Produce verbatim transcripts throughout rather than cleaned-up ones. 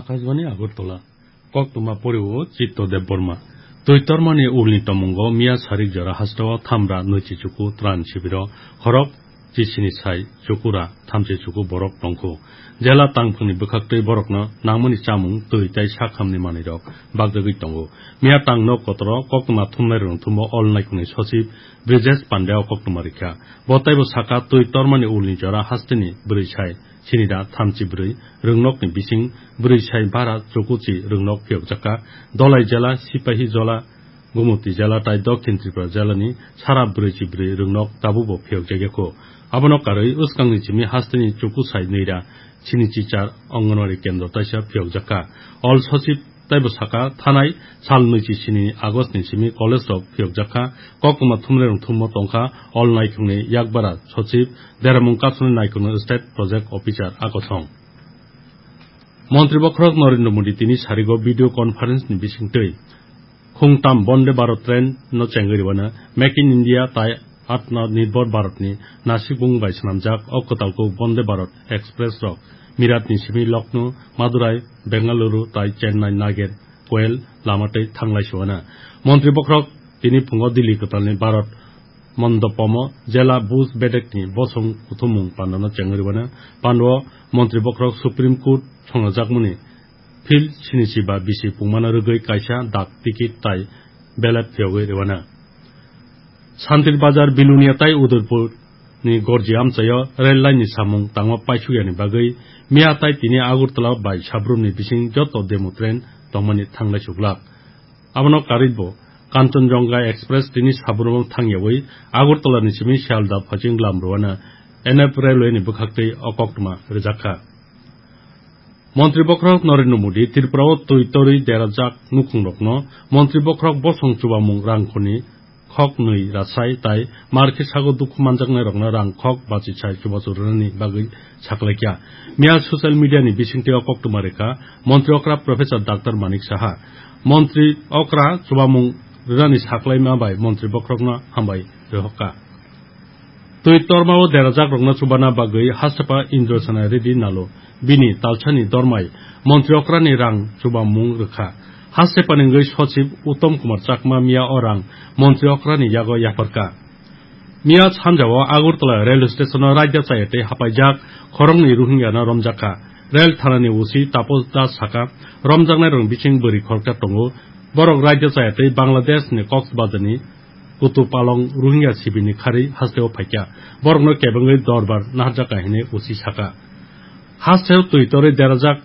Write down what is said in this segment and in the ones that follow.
Akashbani Agartala. Koktwma poriwo Chitto Debbarma. Twi tormani ulni tomungo miya sarik jora hasteo thamra nwichi chuku tran sibiro khorok chisini sai chukura thamchi chuku borok tongkhu. Jela tangphungni bwkhaktwi borokno nangmani chamung twi tai sakhamni manwirok bagjagwi tongo. Miya tang nok kotoro koktwma thumnairokni thumo All Naikhungni sochib Brijesh Pandya o koktwma rikha. Bo taibo saka twi tormani ulni jora hasteni bwrwi sai sinida thamchi bwrwi rwngnokni bising bwrwi sai bara chukuchi rwngnok phiyokjakha. Dolai jela, Sipahi Jola, Gumuti jela tai Dokhin Tripura jelani sara bwrwi chi bwrwi rwngnok tabukbo phiyokjakya kho. Abono karwi uskangni simi hasteni chuku sai nwira sini chichar Anganwadi kendro taisa phiyokjakha. All sochib taibo saka thanai sal nwichi sini August ni simi college rok phiyokjakha. Koktwma thumnairok thummo tongkha All Naikhungni yakbara sochib Deramung Kasuni Naikhungni state project officer akosong. Montri bokhorok Narendra Modi tini sarigo video conference ni bisingtwi khungtam Vande Bharat train no chengwi rwano Make in India tai Atma Nirbhar Bharat ni nasikbung bai swnamjak o kwtalkuk Vande Bharat Express rok Mirat ni simi Lucknow, Madurai, Bengaluru tai Chennai Nager Koel lama tei thanglai suana. Montri bokhorok tini phungo Delhi kwtalni Bharat Mondopomo jela Bhuj bedekni bosong kuthumung pandano chengwi rwano. Pando montri bokhorok Supreme Court songnajakmani Phil sinichi ba bisi pungmano rwgwi kaisa dak tikit tai ballot phiyogwi rwano. Santir Bazar, Bilonia tai Udaipur ni gorji amchaio rail line ni samung tangma paisukya ni bagwi miya tai tini Agartala bai Sabrum ni bising joto demo train tongmani thanglai suglak. Abono karwi bo Kanchanjunga Express tini Sabrum thangyawi Agartala ni simi Sialda Phaching lam rwano N F railway ni bwkhaktwi o koktwma rwjakha. Montri bokhorok Narendra Modi Tripura o twi torwi derajak nukhungrokno montri bokhorok bosong chubamung rangkhorni khok nwi rasai tai markhe sago dukhu manjaknairokno rang khok bachisai chubachu rwnani bagwi saklaikha. Miya social media ni bisingtwi o koktwma rwkha montri okra Professor Doctor Manik Saha. Montri okra chubamung rwnani saklaima bai montri bokhorokno hambai rwhokha. Twi tormao derajakrokno chubana bagwi Hastepha Indrasena Reddy Nalo bini talsani dormai montri okrani rang chubamung rwkha. Hastepha ni wngwi sochib Uttom Kumar Chakma miya o rang montri okrani yago yapharkha. Miya sanjao Agartala rail station o raida chaya tei hapaijak khoroknwi Rohingya no romjakha. Rail thanani O C Tapos Das saka, romjaknairokni bising bwrwi khoroksa tongo. Borok raida chaya tei Bangladesh ni Cox's Bazar ni Kutupalong Rohingya sibini kharwi hasteo phaikha. Borokno kebengwi dorbar naharjakha hinwi O C saka. Hasteo twi torwi derajak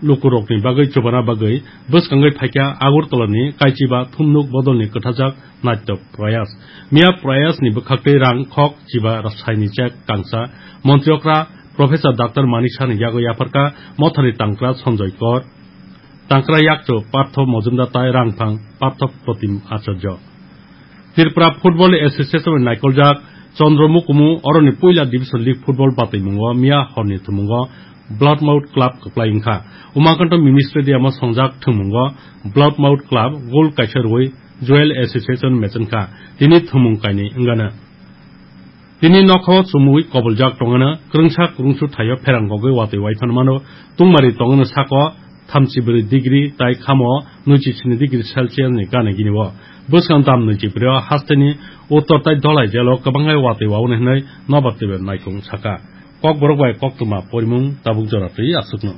lukurokni bagwi chubana bagwi bwskangwi phaikha Agartala ni Kaichiba Thumnuk Bodolni kwthajak Natya Prayas. Miya Prayas ni bwkhaktwi rang khok chiba saini chek kangsa montri okra Professor Doctor Manik Saha ni yago yapharkha mothani tangkra Sanjoy Kor. Tangkra yakchu Partho Mojumdar tai rangphang Partho Protim Acharya. Tripura Football Association ni naikoljak Chandra Mukumu oroni puila Division League football batwimungo miya horni thumungo Bloodmouth Club kwplai wngkha. Umakanto Mini Stadium o songjak thumungo Bloodmouth Club goal kaisa rwui Joel Association mechenkha. Tini thumung kainwi wngano. Tini nokhao chumui koboljak tongano, kwrwngsa kwrwngsu thaio pherang gogwi watwi waiphan mano, tungmari tongano sako thamchi bwrwi degree tai khamo nwichi sini degree Celsius ni gana gini o. Bwskang dam nwichi bwrwi o hasteni uttor tai Dholai jelo kwbangkhe watwi wauni hwnwi nobar twibo naikung saka. Kokborok bai koktwma porimung tabuk jora twi aswkno.